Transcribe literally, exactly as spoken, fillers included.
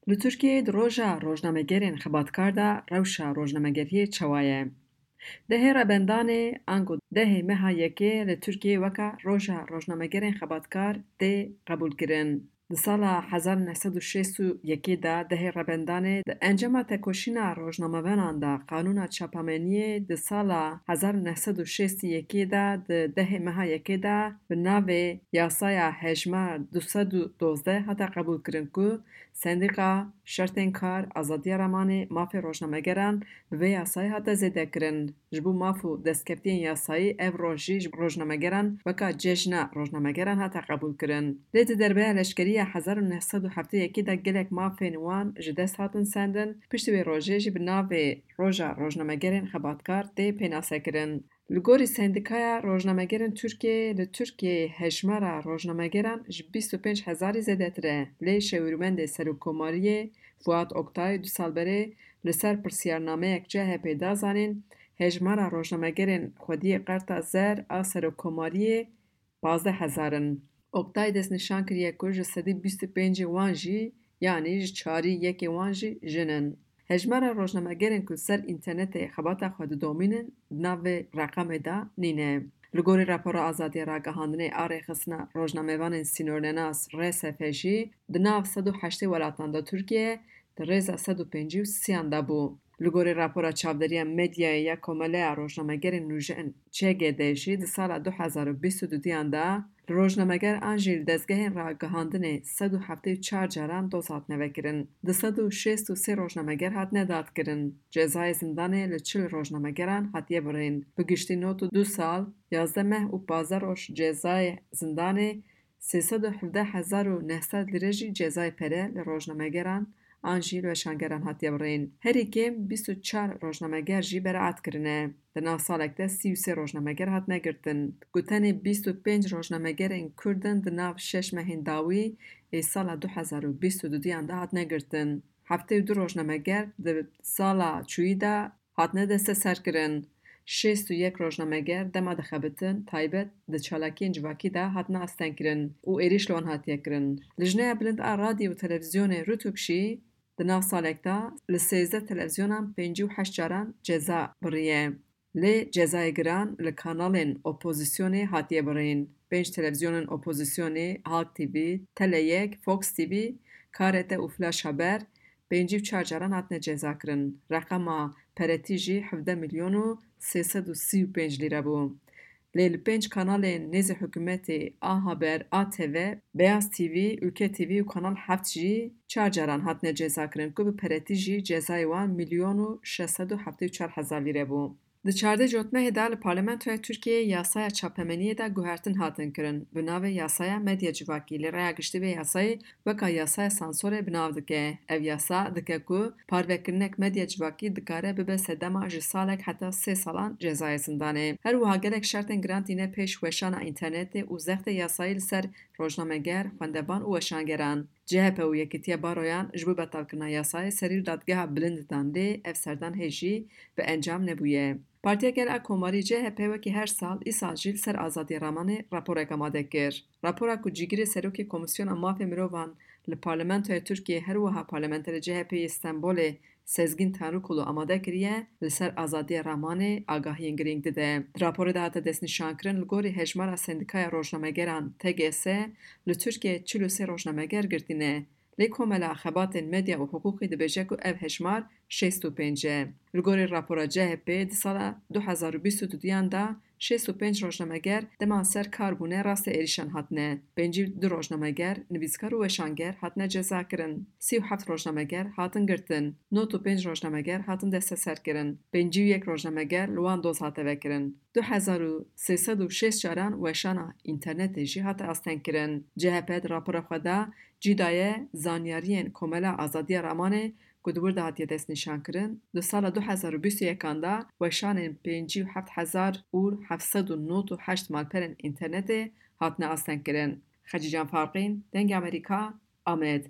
Li Tirkiyeyê di roja rojnamegerên xebatkar de rewşa rojnamegeriyê çawa ye? Dehê Rebendanê ango dehê meha yekê li Tirkiyeyê weka roja rojnamegerên xebatkar tê qebûlkirin. Di sala hezar neh sed û şêst û yekê de dehê Rebendanê di encama tekoşîna rojnamevanan de qanûna çapameniyê di sala hezar neh sed û şêst û yekê de di dehê meha yekê de bi navê Yasaya Hejmar du sed û dozdeh hate qebûlkirin ku sendîqa, şertên kar, azadiya ramanê, mafê rojnamegeran bi vê yasayê hate zêdekirin. Ji bo maf û destkeftiyên yasayî ev roj jî ji rojnamegeran weka cejna rojnamegeran hate qebûlkirin. Lê di derbeya leşkerî ya hezar û neh sed û heftê yekê de gelek mafên wan ji dest hatin sendin, piştî wê rojê jî bi navê Roja Rojnamegerên Xebatkar tê pênasekirin. Li gorî Sendîkaya Rojnamegerên Tirkiyeyê, li Tirkiyeyê hejmara rojnamegeran ji bîst û pênc hezarî zêdetir e, lê şêwirmendê Serokkomariyê Fuat Oktay du sal berê li ser pirsiyarnameyek C H P da zanîn, hejmara rojnamegerên xwediyê Qerta Zer a Serokkomariyê pazdeh hezar in. Oktay destnîşan kiriye ku ji sedî bîst û pêncê wan jî, yanî ji çarî yekê wan jî jin in. Hejmara rojnamegerên ku li ser înternetê xebata xwe didomînin, di nav vê reqemê de nîne. Li gorî rapora Azadiya Ragihandinê a Rêxistina Rojnamevanên Sînornenas, R S F, jî di nav sed û heştê welatan de Tirkiye di rêza sed û pêncî û sêyan de bû. Li gorî rapora Çavderiya Medyayê ya Komeleya Rojnamegerên Nûjen, Ç G D, jî di sala du hezar û bîst û duduyan de li rojnameger an jî li dezgehên ragihandinê sed û heftê û çar caran doz hatine vekirin. Du sed û şêst û sê rojnameger hatine dadkirin. Cezayê zindanê li çil rojnamegeran hatiye birîn. Bi giştî nod û du sal, yazdeh meh û pazdeh roj cezayê zindanê, sê sed û hevdeh hezar û neh sed lîre jî cezayê pere li rojnamegeran an jî li weşangeran hatiye birîn. Herî kêm bîst û çar rojnameger jî beraat kirine. Di nav salek de sî û sê rojnameger hatine girtin. Ku tenê bîst û pênc rojnamegerên Kurd in di nav şeş mehên dawî ê sala du hezar û bîst û duduyan de hatine girtin. Heftê û du rojnameger di sala çûyî de hatine desteserkirin. Şêst û yek rojnameger dema dixebitin taybet di çalakiyên civakî de hatine astengkirin û êrîş li wan hatiye kirin. Lijneya Bilind a Radyo û Televîzyonê, RTÜK, jî di nav salek de li sêzdeh televîzyonan pêncî û heşt caran ceza biriye. Lê cezayê giran li kanalên opozîsyonê hatiye birîn. Pênc televîzyonên opozîsyonê, Halk T V, Tele yek, Fox T V, K R T û Flash Haber, pêncî û çar caran hatine cezakirin. Reqema peretî jî hevdeh milyon û sê sed û sî û pênc lîre bû. Lê li pênc kanalên nêzî hikûmetê, A Haber, A T V, Beyaz T V, Ülke T V û Kanal heft jî çar caran hatine cezakirin ku bi peretî jî cezayê wan milyon û şeş sed û heftê û çar hezar lîre bû. Di çardeh cotmehê de li Parlamentoya Tirkiyeyê yasaya çapemeniyê de guhertin hatin kirin, bi navê Yasaya Medya Civakî, lê raya giştî vê yasayê weka yasaya sansorê bi nav dike. Ev yasa dike ku parvekirinek medya civakî dikare bibe sedema ji salek heta sê salan cezayê zindanê. Her wiha gelek şertên giran tîne pêş weşana înternetê û zextê yasayî li ser rojnameger, xwendevan û weşangeran. C H P û Yekîtiya Baroyan ji bo betalkirina yasayê serî li Dadgeha Bilind dan, lê ev serdan hê jî bi encam nebûye. Partiya Gel a Komarî, C H P, wekî her sal, îsal jî li ser azadiya ramanê raporek amade kir. Rapora ku cîgirê serokê Komîsyona Mafê Mirovan li Parlamentoya Tirkiyê, her wiha parlamenterê C H P yê Stenbolê Sezgîn Tanrikulu amade kiriye, li ser azadiya ramanê agahiyên girîng dide. Di raporê de hate destnîşankirin, li gorî hejmara Sendîkaya Rojnamegeran, T G S, li Tirkiyeyê çil û sê rojnameger girtî ne. Lê Komela Xebatên Medya û Hiqûqê dibêje ku ev hejmar şêst û pênc e. Li gorî rapora C H P, di sala du hezar û bîst û duduyan de şêst û pênc rojnameger dema ser kar bûne rastê êrîşan hatine. Pêncî û du rojnameger, nivîskar û weşanger hatine cezakirin. Sî û heft rojnameger hatin girtin. Nod û pênc rojnameger hatin desteserkirin. Pêncî û yek rojnameger li wan doz hate vekirin. Du hezar û sê sed û şêst caran weşana înternetê jî hate astengkirin. C H P di rapora xwe de cî daye zanyariyên Komela Azadiya Ramanê ku di wir de hatiye destnîşankirin, di sala du hezar û bîst û yekan de weşanên pêncî û heft hezar û heft sed û nod û heşt malperên înternetê hatine astengkirin. Xecîcan Farqîn, Dengê Amerîka, Amed.